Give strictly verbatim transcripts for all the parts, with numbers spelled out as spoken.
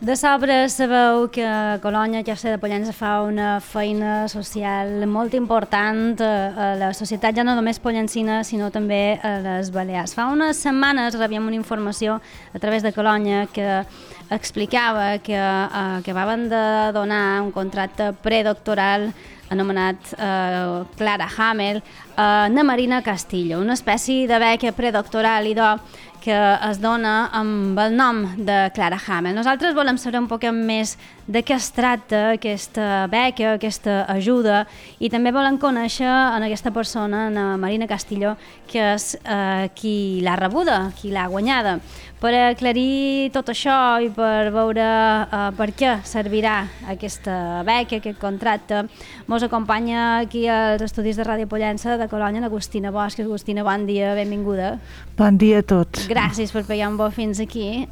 De sobre sabeu que Colònia, Caixa de Pollença, fa una feina social molt important a la societat, ja no només pollencina, sinó també a les Balears. Fa unes setmanes rebíem una informació a través de Colònia que explicava que, eh, que acabaven de donar un contracte predoctoral anomenat eh, Clara Hamel a na Marina Castillo, una espècie de beca predoctoral idò que es dona amb el nom de Clara Hamel. Nosaltres volem saber un poc més de què es tracta aquesta beca, aquesta ajuda, i també volem conèixer en aquesta persona, en Marina Castillo, que és eh, qui l'ha rebuda, qui l'ha guanyada. Per aclarir tot això i per veure eh, per què servirà aquesta beca, aquest contracte, mos acompanya aquí als estudis de Ràdio Pollença de Colònia l'Agustina Bosch. Agustina, bon dia, benvinguda. Bon dia a tots. Gràcies per pegar un bo fins aquí.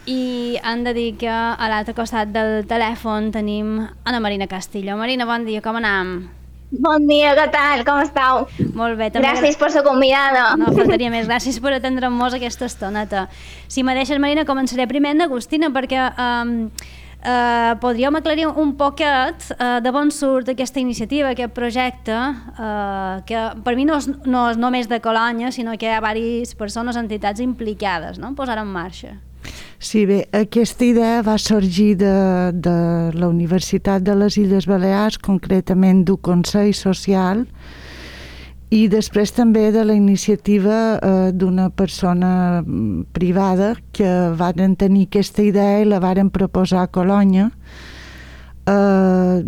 I hem de dir que a l'altre costat del telèfon tenim Ana Marina Castillo. Marina, bon dia, com anem? Bon dia, què tal? Com esteu? Molt bé. També... Gràcies per ser convidada. No, faltaria més. Gràcies per atendre'm-nos aquesta estoneta. Si me deixes, Marina, començaré primer amb Agustina, perquè um, uh, podríem aclarir un poquet uh, de on surt aquesta iniciativa, aquest projecte, uh, que per mi no és, no és només de Colònia, sinó que hi ha diverses persones, entitats implicades, no?, en posar en marxa. Sí, bé, aquesta idea va sorgir de, de la Universitat de les Illes Balears, concretament d'un Consell Social, i després també de la iniciativa eh, d'una persona privada que varen tenir aquesta idea i la varen proposar a Colònia, eh,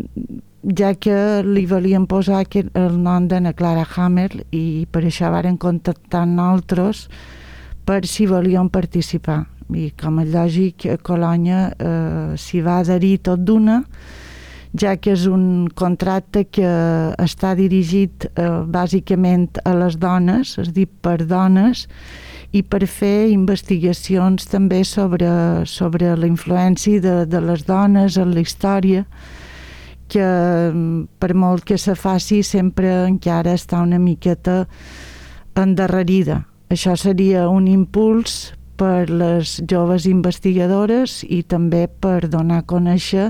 ja que li volien posar el nom d'Anna Clara Hamel, i per això varen contactar nosaltres per si volien participar. I com és lògic, a Colònia eh, s'hi va adherir tot d'una, ja que és un contracte que està dirigit eh, bàsicament a les dones, és dir, per dones, i per fer investigacions també sobre, sobre la influència de, de les dones en la història, que per molt que se faci sempre encara està una miqueta endarrerida. Això seria un impuls per les joves investigadores i també per donar a conèixer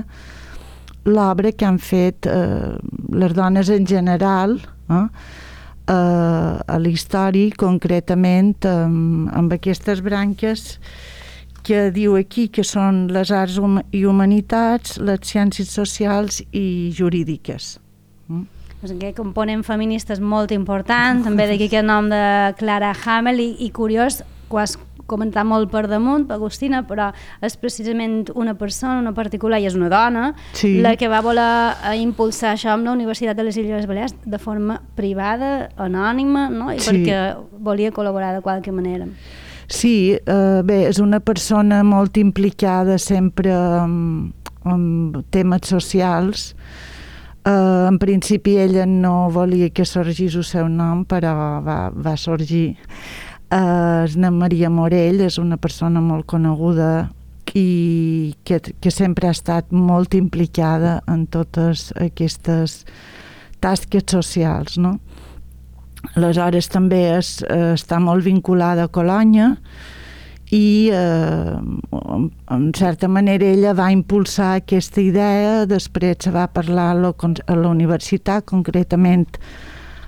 l'obra que han fet eh, les dones en general eh, eh, a la història, concretament amb, amb aquestes branques que diu aquí que són les arts i humanitats, les ciències socials i jurídiques. Mm? Doncs aquest component feminista és molt important, també d'aquí aquest nom de Clara Hamel, i, i curiós, ho has comentat molt per damunt, Agustina, però és precisament una persona, una particular, i és una dona, sí, la que va voler impulsar això amb la Universitat de les Illes Balears de forma privada, anònima, no? I sí, perquè volia col·laborar de qualque manera. Sí, eh, bé, és una persona molt implicada sempre en, en temes socials. Uh, en principi ella no volia que sorgís el seu nom, però va, va sorgir. Uh, és na Maria Morell, és una persona molt coneguda i que, que sempre ha estat molt implicada en totes aquestes tasques socials, no? Aleshores també és, està molt vinculada a Colònia i eh, en certa manera ella va impulsar aquesta idea, després se va parlar a la, a la universitat, concretament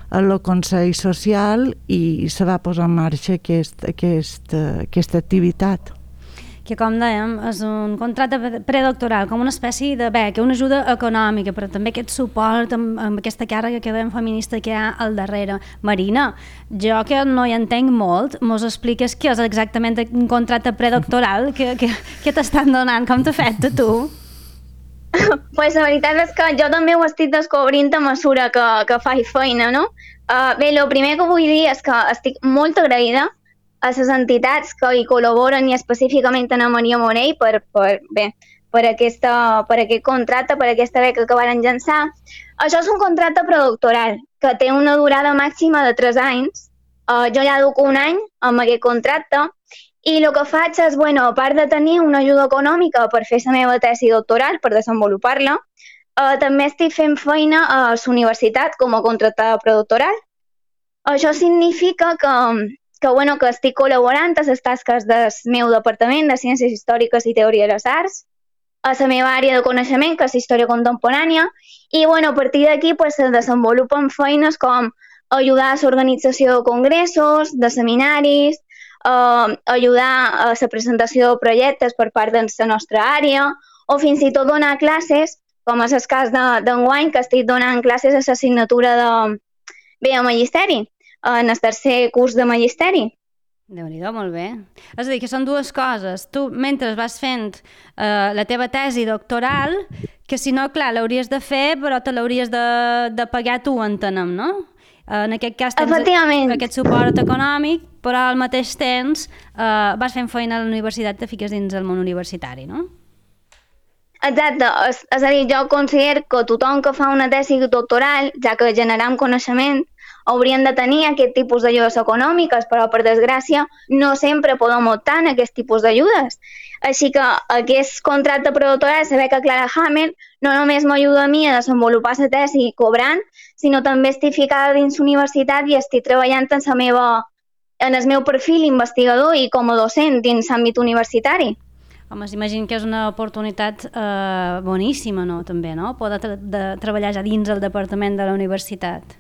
a la Consell Social, i se va posar en marxa aquest, aquest, aquesta activitat. Que, com dèiem, és un contracte predoctoral, com una espècie de beca, una ajuda econòmica, però també aquest suport amb, amb aquesta càrrega que dèiem feminista que hi ha al darrere. Marina, jo que no hi entenc molt, mos expliques què és exactament un contracte predoctoral que, que, que t'estan donant, com t'ha fet a tu? Pues la veritat és que jo també ho estic descobrint a mesura que, que faig feina, no? Uh, bé, el primer que vull dir és que estic molt agraïda a les entitats que hi col·laboren, i específicament a Maria Morell per, per, bé, per, aquesta, per aquest contracte, per aquesta beca que van llançar. Això és un contracte predoctoral que té una durada màxima de tres anys. Uh, jo ja duc un any amb aquest contracte, i el que faig és, bueno, a part de tenir una ajuda econòmica per fer la meva tesi doctoral, per desenvolupar-la, uh, també estic fent feina a la universitat com a contractada predoctoral. Això significa que, que, bueno, que estic col·laborant a les tasques del meu departament de Ciències Històriques i Teoria de les Arts, a la meva àrea de coneixement, que és la història contemporània, i bueno, a partir d'aquí pues, se desenvolupen feines com ajudar a l'organització de congressos, de seminaris, eh, ajudar a la presentació de projectes per part de la nostra àrea, o fins i tot donar classes, com és el cas d'enguany, que estic donant classes a l'assignatura de, bé, a Magisteri, en el tercer curs de Magisteri. Déu-n'hi-do, molt bé. És a dir, que són dues coses. Tu, mentre vas fent eh, la teva tesi doctoral, que si no, clar, l'hauries de fer, però te l'hauries de, de pagar tu, entenem, no? En aquest cas tens aquest suport econòmic, però al mateix temps eh, vas fent feina a la universitat, te fiques dins el món universitari, no? Exacte, és, és a dir, jo considero que tothom que fa una tesi doctoral, ja que generem coneixement, haurien de tenir aquest tipus d'ajudes econòmiques, però per desgràcia no sempre podem optar en aquest tipus d'ajudes. Així que aquest contracte predoctoral, saber que Clara Hamel no només m'ajuda a mi a desenvolupar la tesi cobrant, sinó també estic ficada dins l'universitat i estic treballant en, la meva, en el meu perfil investigador i com a docent dins l'àmbit universitari. Home, s'imagina que és una oportunitat eh, boníssima, no?, també, no?, poder tra de treballar ja dins el departament de la universitat.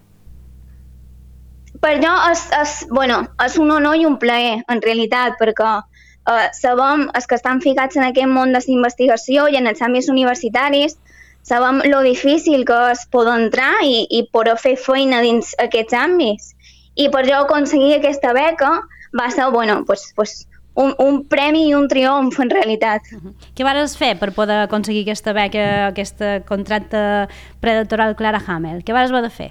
Per jo és, és, bueno, és un honor i un plaer, en realitat, perquè eh, sabem, els que estan ficats en aquest món de la investigació i en els àmbits universitaris, sabem lo difícil que és poder entrar i, i poder fer feina dins aquests àmbits. I per jo aconseguir aquesta beca va ser, bueno, pues, pues, Un, un premi i un triomf, en realitat. Uh -huh. Què vas fer per poder aconseguir aquesta beca, aquest contracte predoctoral Clara Hamel? Què vas haver de fer?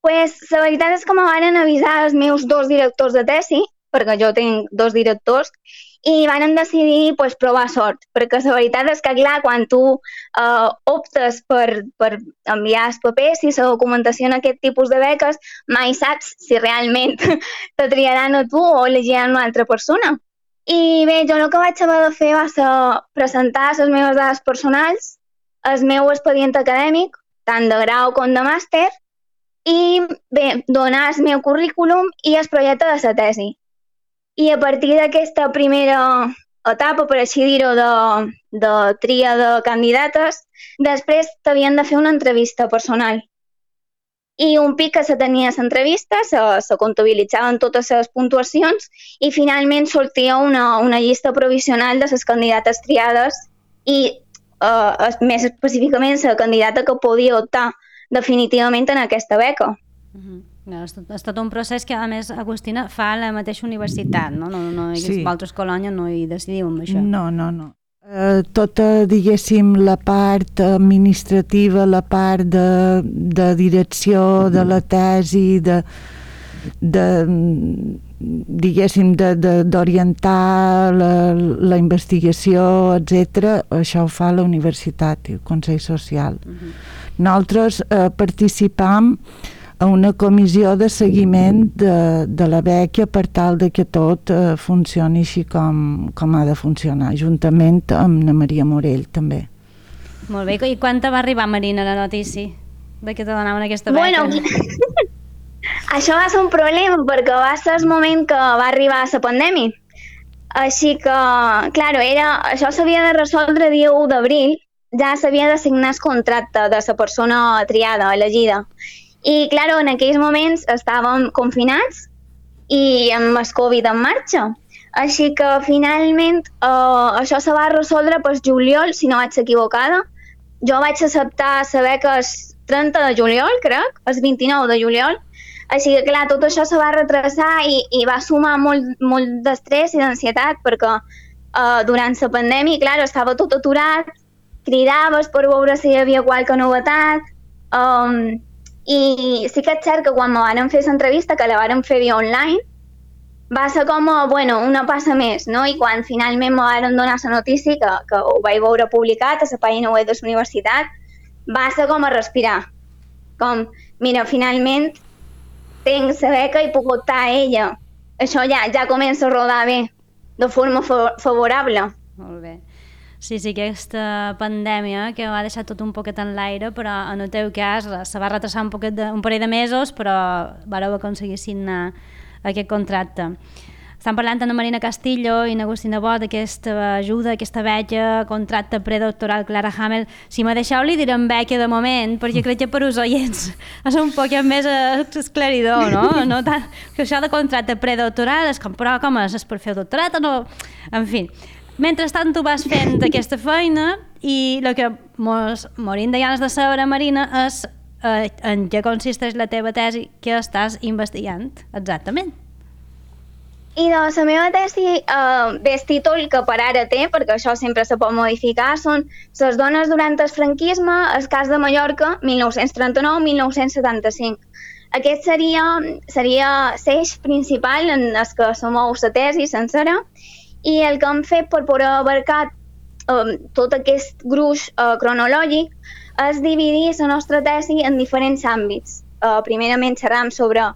Pues, la veritat és que me van avisar els meus dos directors de tesi, perquè jo tinc dos directors, i van decidir pues, provar sort, perquè la veritat és que, clar, quan tu eh, optes per, per enviar els papers i la documentació en aquest tipus de beques, mai saps si realment te triaran a tu o elegiran una altra persona. I bé, jo el que vaig haver de fer va ser presentar les meves dades personals, el meu expedient acadèmic, tant de grau com de màster, i bé, donar el meu currículum i el projecte de la tesi. I a partir d'aquesta primera etapa, per així dir-ho, de, de tria de candidates, després t'havien de fer una entrevista personal. I un pic que se tenia l'entrevista, se, se comptabilitzaven totes les puntuacions i finalment sortia una, una llista provisional de les candidates triades i eh, més específicament la candidata que podia optar definitivament en aquesta beca. Uh-huh. No, és, tot, és tot un procés que, a més, Agustina, fa la mateixa universitat, no? No, no, sí. Vosaltres, Colònia, no hi decidiu amb això. No, no, no. Uh, tota, diguéssim, la part administrativa, la part de, de direcció de la tesi, de, de diguéssim, d'orientar la, la investigació, etcètera, això ho fa la universitat, el Consell Social. Uh-huh. Nosaltres eh, participam a una comissió de seguiment de, de la beca per tal de que tot eh, funcioni així com, com ha de funcionar, juntament amb na Maria Morell també. Molt bé, i quan te va arribar, Marina, la notícia de que te donaven aquesta beca? Bueno, això va ser un problema perquè va ser el moment que va arribar la pandèmia. Així que, clar, era, això s'havia de resoldre dia u d'abril, ja s'havia de signar el contracte de la persona triada, elegida. I, clar, en aquells moments estàvem confinats i amb el Covid en marxa. Així que, finalment, eh, això se va resoldre per juliol, si no vaig equivocada. Jo vaig acceptar la beca el trenta de juliol, crec, el vint-i-nou de juliol. Així que, clar, tot això se va retrasar i, i va sumar molt, molt d'estrès i d'ansietat perquè eh, durant la pandèmia, clar, estava tot aturat, cridaves per veure si hi havia qualque novetat. Um, I sí que és cert que quan me van fer l'entrevista, que la van fer via online, va ser com, bueno, una passa més, no? I quan finalment me van donar la notícia, que, que ho vaig veure publicat a la pàgina web de la universitat, va ser com a respirar. Com, mira, finalment tinc la beca i puc optar a ella. Això ja, ja comença a rodar bé, de forma favorable. Molt bé. Sí, sí, aquesta pandèmia que va deixar tot un poquet en l'aire, però en el teu cas se va retrasar un, poquet de, un parell de mesos, però vareu aconseguir signar aquest contracte. estan parlant amb Marina Castillo i Agustina Bot d'aquesta ajuda, aquesta beca, contracte predoctoral Clara Hamel. Si me deixeu li direm beca de moment, perquè crec que per us oients és un poc més esclaridor, no? no tant, que això de contracte predoctoral és com, però com és? És per fer el doctorat o no? En fi, mentrestant tu vas fent aquesta feina i el que mos morim de ganes de saber, Marina, és eh, en què consisteix la teva tesi que estàs investigant exactament. I de la meva tesi, eh, bé, el títol que per ara té, perquè això sempre se pot modificar, són Les dones durant el franquisme, el cas de Mallorca, mil nou-cents trenta-nou a mil nou-cents setanta-cinc. Aquest seria, seria l'eix principal en el que se mou la tesi sencera, i el que hem fet per poder abarcar eh, tot aquest gruix eh, cronològic és dividir la nostra tesi en diferents àmbits. Eh, primerament xerram sobre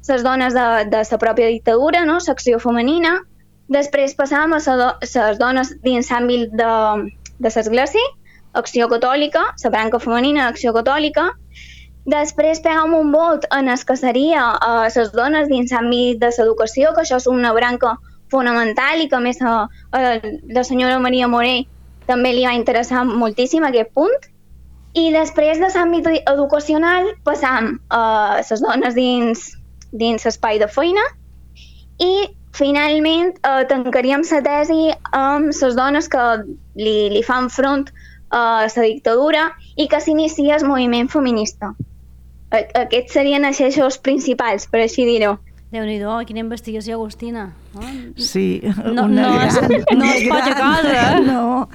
les dones de, de la pròpia dictadura, no? L'acció femenina. Després passàvem a les dones dins l'àmbit de, de l'església, acció catòlica, la branca femenina d'acció catòlica. Després pegàvem un volt en el que seria les uh, dones dins l'àmbit de l'educació, que això és una branca fonamental i que a més a, a la senyora Maria Morell també li va interessar moltíssim aquest punt. I després de l'àmbit educacional passam a les dones dins dins l'espai de feina i finalment eh, tancaríem la tesi amb les dones que li, li fan front a la dictadura i que s'inicia el moviment feminista. Aquests serien els eixos principals, per així dir-ho. Déu-n'hi-do, quina investigació, Agustina. No? Sí, no, una no, gran, és, no és poca cosa. No,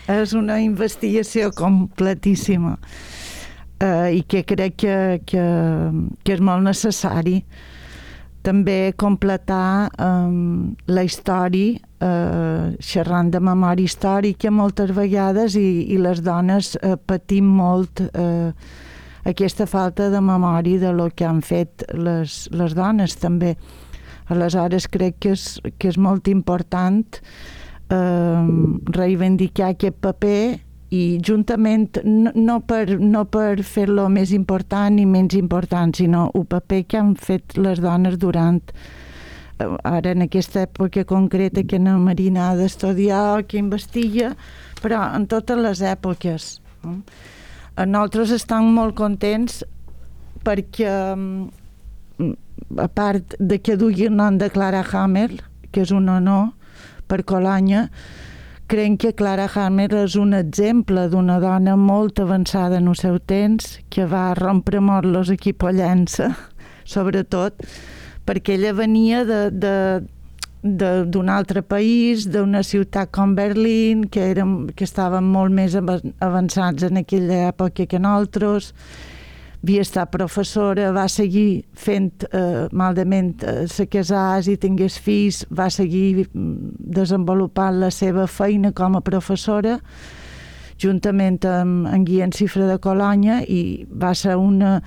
és una investigació completíssima. Uh, i que crec que, que, que és molt necessari també completar um, la història, uh, xerrant de memòria històrica moltes vegades i, i les dones uh, patim molt uh, aquesta falta de memòria de lo que han fet les, les dones també. Aleshores crec que és, que és molt important uh, reivindicar aquest paper i juntament, no, no per, no per fer-lo més important ni menys important, sinó el paper que han fet les dones durant, ara en aquesta època concreta que la Marina ha d'estudiar, que investiga, però en totes les èpoques. Nosaltres estem molt contents perquè, a part de que dugui el nom de Clara Hamel, que és un honor per Colònia, crec que Clara Hamel és un exemple d'una dona molt avançada en el seu temps, que va rompre molt los equipollença, sobretot, perquè ella venia de, de, de, d'un altre país, d'una ciutat com Berlín, que, érem, que estaven molt més avançats en aquella època que nosaltres. Havia estat professora, va seguir fent, eh, malament, eh, se casàs i tingués fills, va seguir desenvolupant la seva feina com a professora, juntament amb en Guillem Cifra de Colònia, i va ser una,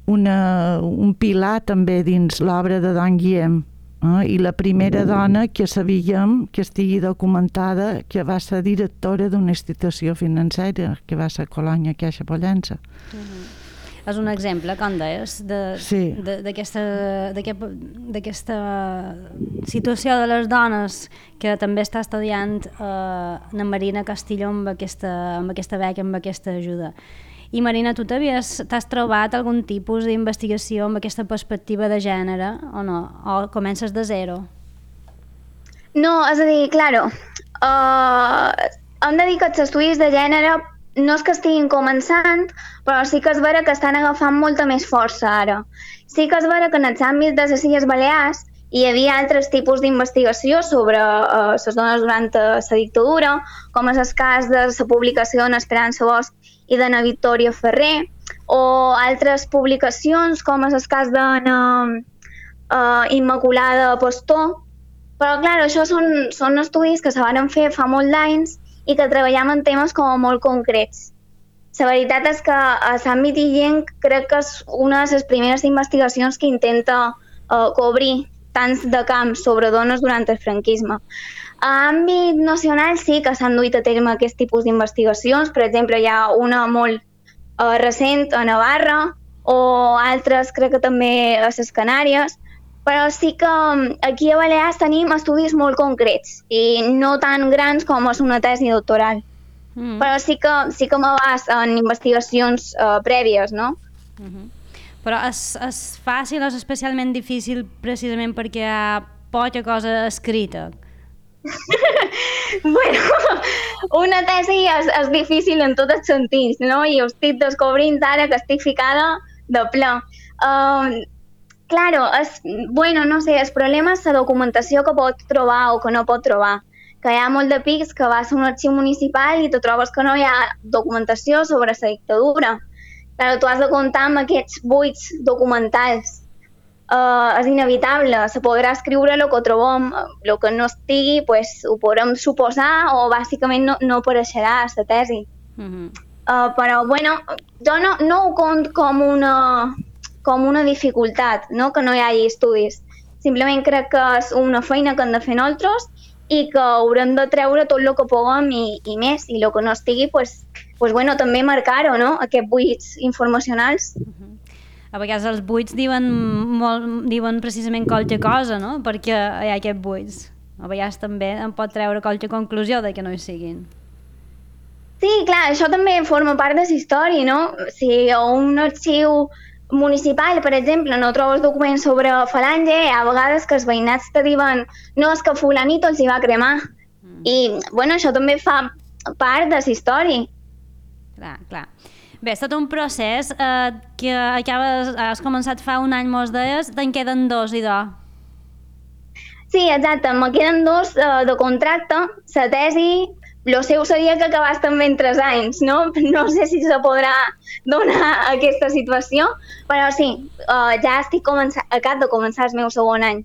una, un pilar també dins l'obra de Don Guillem. Eh? I la primera dona que sabíem que estigui documentada que va ser directora d'una institució financera, que va ser Colònia Caixa Pollença. Uh-huh. És un exemple, com deies, d'aquesta situació de les dones que també està estudiant eh, la Marina Castillo amb aquesta, amb aquesta beca, amb aquesta ajuda. I Marina, tu t'has trobat algun tipus d'investigació amb aquesta perspectiva de gènere o no? O comences de zero? No, és a dir, claro, uh, hem de dir que els estudis de gènere no és que estiguin començant, però sí que és vera que estan agafant molta més força ara. Sí que és vera que en els àmbits de les Illes Balears hi havia altres tipus d'investigació sobre uh, les dones durant la dictadura, com és el cas de la publicació d'Esperança Bosch i de na Victòria Ferrer, o altres publicacions com és el cas de na uh, Immaculada Pastor. Però, clar, això són, són estudis que se van fer fa molt d'anys i que treballem en temes com molt concrets. La veritat és que a l'àmbit illenc crec que és una de les primeres investigacions que intenta uh, cobrir tants de camp sobre dones durant el franquisme. A l'àmbit nacional sí que s'han duit a terme aquest tipus d'investigacions. Per exemple, hi ha una molt uh, recent a Navarra o altres crec que també a les Canàries, però sí que aquí a Balears tenim estudis molt concrets i no tan grans com és una tesi doctoral. Mm. Però sí que, sí que m'abast en investigacions uh, prèvies, no? Mm-hmm. Però és, és fàcil o és especialment difícil precisament perquè hi ha poca cosa escrita? Bueno, una tesi és, és difícil en tots els sentits, no? I ho estic descobrint ara que estic ficada de ple. Uh, claro, és, bueno, no sé, el problema és la documentació que pot trobar o que no pot trobar. Que hi ha molt de pics que vas a un arxiu municipal i te trobes que no hi ha documentació sobre la dictadura. Claro, tu has de comptar amb aquests buits documentals. Uh, és inevitable, se podrà escriure el que trobem, el que no estigui, pues, ho podrem suposar o bàsicament no, no apareixerà a la tesi. Mm-hmm. uh, però, bueno, jo no, no ho cont com una, com una dificultat, no? Que no hi hagi estudis. Simplement crec que és una feina que hem de fer nosaltres i que haurem de treure tot el que puguem i, i més, i el que no estigui, pues, pues, bueno, també marcar-ho, no? Aquests buits informacionals. Mm-hmm. A vegades els buits diuen, molt, diuen precisament qualque cosa, no? Perquè hi ha aquests buits. A vegades també en pot treure qualque conclusió de que no hi siguin. Sí, clar, això també forma part de la història, no? Si a un arxiu municipal, per exemple, no trobes documents sobre Falange, a vegades que els veïnats te diuen no, és que fulanito els hi va cremar. Mm. I, bueno, això també fa part de la història. Clar, clar. Bé, és tot un procés eh, que acabes, has començat fa un any, mos deies, te'n queden dos, idò. Sí, exacte, me queden dos uh, de contracte, la tesi, el seu seria que acabàs també en tres anys, no? No sé si se podrà donar aquesta situació, però sí, uh, ja estic començant, acabo de començar el meu segon any.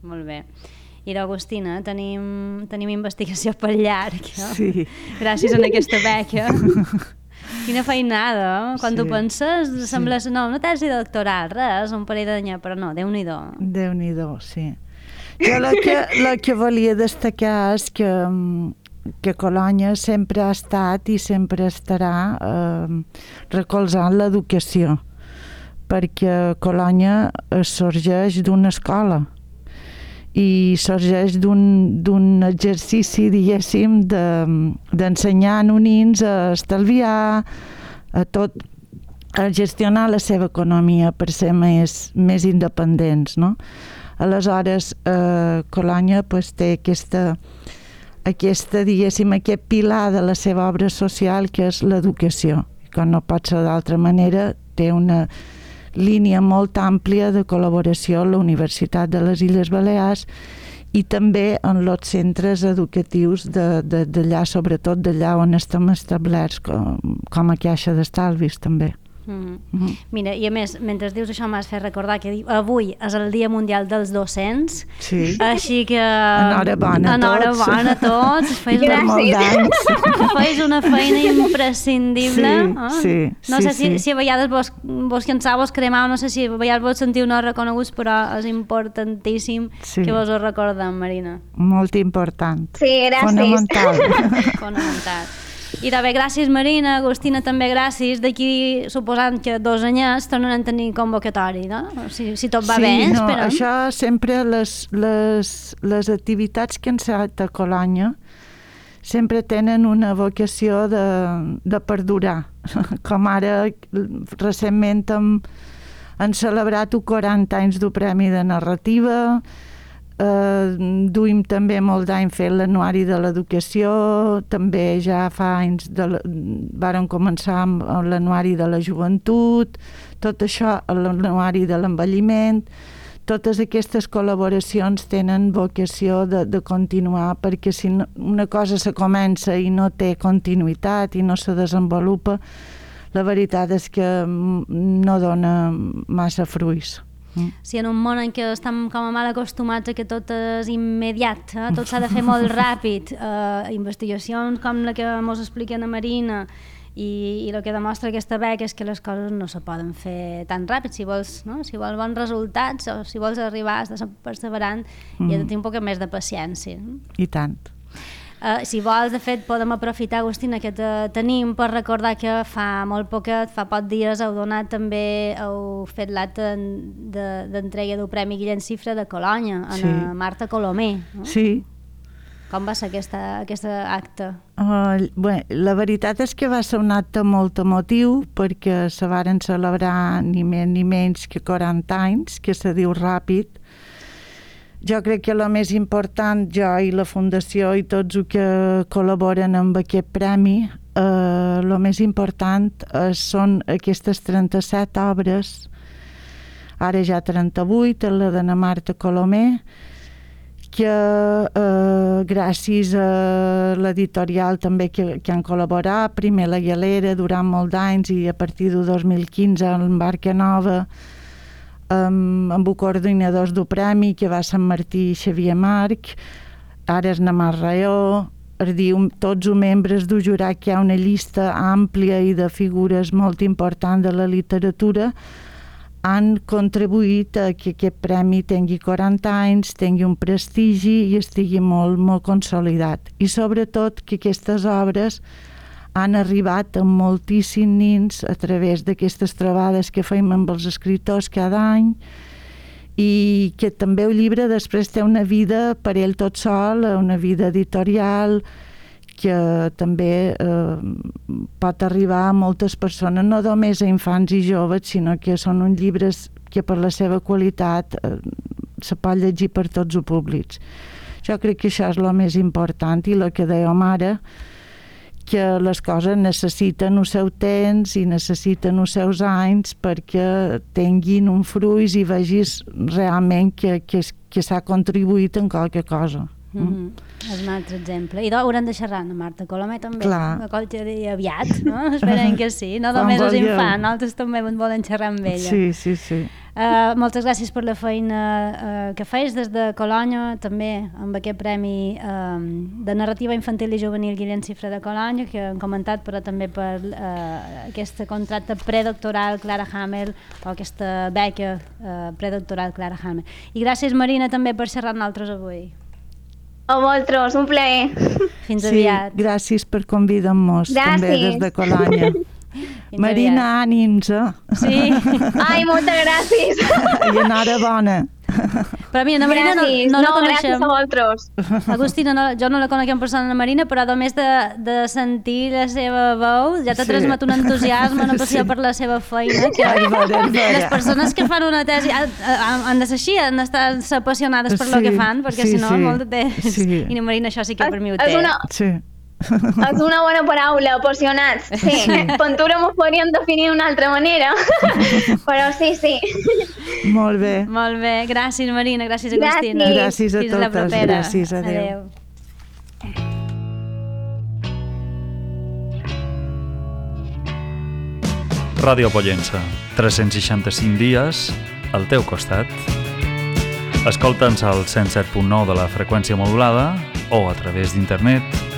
Molt bé. I d'Agustina, tenim, tenim investigació per llarg, no? Sí. Gràcies a aquesta beca. Quina feinada, quan sí. T'ho penses, sí. Sembla no, una tesi doctoral, res, un parell d'any, però no, Déu-n'hi-do. Déu-n'hi-do, sí. Jo la que, la que volia destacar és que, que Colònia sempre ha estat i sempre estarà eh, recolzant l'educació, perquè Colònia sorgeix d'una escola i sorgeix d'un exercici, diguéssim, d'ensenyar de, nonins a estalviar, a tot, a gestionar la seva economia per ser més, més independents, no? Aleshores, eh, Colònia pues, té aquesta, aquesta, diguéssim, aquest pilar de la seva obra social que és l'educació. Com no pot ser d'altra manera, té una línia molt àmplia de col·laboració a la Universitat de les Illes Balears i també en els centres educatius d'allà, sobretot d'allà on estem establerts com, com a Caixa d'Estalvis també. Mm-hmm. Mm-hmm. Mira, i a més, mentre dius això m'has fet recordar que avui és el Dia Mundial dels Docents, sí. Així que enhorabona a tots, enhorabona a tots. Feis una, feis una feina imprescindible, sí, eh? sí, no sí, sé si, sí. si a vegades vos, vos cansau, vos cremau, no sé si a vegades vos sentiu no reconeguts, però és importantíssim sí. Que vos ho recordem, Marina. Molt important. Sí, gràcies. Fonamental. Fonamental. I també gràcies, Marina, Agustina, també gràcies. D'aquí, suposant que dos anyets tornaran a tenir convocatori, no? Si, si tot va sí, bé, no, esperem. Això sempre, les, les, les activitats que han estat a Colònia sempre tenen una vocació de, de perdurar. Com ara, recentment hem, han celebrat quaranta anys del Premi de Narrativa, Eh, duim també molt d'any fent l'anuari de l'educació, també ja fa anys de la, varen començar amb l'anuari de la joventut, tot això, l'anuari de l'envelliment. Totes aquestes col·laboracions tenen vocació de, de continuar, perquè si no, una cosa se comença i no té continuïtat i no se desenvolupa, la veritat és que no dona massa fruits. Mm. Si en un món en què estem com a mal acostumats a que tot és immediat, eh? Tot s'ha de fer molt ràpid, eh, investigacions com la que ens explica la Marina i, i el que demostra aquesta beca és que les coses no se poden fer tan ràpid. Si vols, no? Si vols bons resultats o si vols arribar, estàs perseverant, mm. i has de tenir un poc més de paciència. I tant. Uh, si vols, de fet, podem aprofitar, Agustina, que te tenim per recordar que fa molt poquet, fa pocs dies, heu donat també, heu fet l'acte d'entrega del Premi Guillem Cifra de Colònia, a sí. Marta Colomer. No? Sí. Com va ser aquesta, aquesta acte? Uh, bé, la veritat és que va ser un acte molt emotiu perquè se varen celebrar ni més ni menys que quaranta anys, que se diu ràpid. Jo crec que el més important, jo i la Fundació i tots els que col·laboren amb aquest premi, el eh, més important eh, són aquestes trenta-set obres, ara ja trenta-vuit, la de na Marta Colomer, que eh, gràcies a l'editorial també que, que han col·laborat, primer la Galera durant molts anys i a partir de dos mil quinze en Barca Nova, amb, amb els coordinadors del premi, que va Sant Martí i Xavier Marc, ara és Namar Raó, és dir, tots els membres del jurat, que hi ha una llista àmplia i de figures molt importants de la literatura, han contribuït a que aquest premi tingui quaranta anys, tingui un prestigi i estigui molt, molt consolidat. I sobretot que aquestes obres han arribat a moltíssims nins a través d'aquestes trobades que fem amb els escriptors cada any, i que també el llibre després té una vida per ell tot sol, una vida editorial que també eh, pot arribar a moltes persones, no només a infants i joves, sinó que són uns llibres que per la seva qualitat eh, se pot llegir per tots els públics. Jo crec que això és el més important, i el que dèiem ara, que les coses necessiten el seu temps i necessiten els seus anys perquè tinguin un fruit i vegis realment que, que, que s'ha contribuït en qualque cosa. Mm-hmm. És un altre exemple. I haurem de xerrar amb Marta Colomer també. Clar. Aviat, no? Esperem que sí. No només els infants, nosaltres també volen xerrar amb ella. Sí, sí, sí. Uh, moltes gràcies per la feina uh, que feis des de Colònia, també amb aquest premi uh, de narrativa infantil i juvenil Guillem Cifra de Colònia, que hem comentat, però també per uh, aquest contracte predoctoral Clara Hamel, o aquesta beca uh, predoctoral Clara Hamel. I gràcies, Marina, també per xerrar amb nosaltres avui. A vosaltres, un plaer. Fins sí, aviat. Gràcies per convidar-nos també des de Colònia. Marina, ànims, eh? Sí. Ai, moltes gràcies. I enhorabona. Però mira, la Marina no, no, no la coneixem. Gràcies a vosaltres. Agustina, no, jo no la conec en persona, la Marina, però només de, de sentir la seva veu ja t'ha sí. transmet un entusiasme, una passió sí. per la seva feina, que Ai, vera, vera. les persones que fan una tesi han, han de ser així, han d'estar apassionades per sí, el que fan, perquè sí, si no, sí. molt de temps. Sí. I la Marina això sí que per mi ho té. És una... Sí. És una bona paraula, apassionats. Sí, sí. Pintura m'ho podríem definir d'una altra manera, però sí, sí. Molt bé. Molt bé, gràcies Marina, gràcies Agustina. Gràcies, gràcies a Fins totes. la propera. Gràcies, adéu. adéu. Ràdio Pollença, tres-cents seixanta-cinc dies al teu costat. Escolta'ns al cent set punt nou de la freqüència modulada o a través d'internet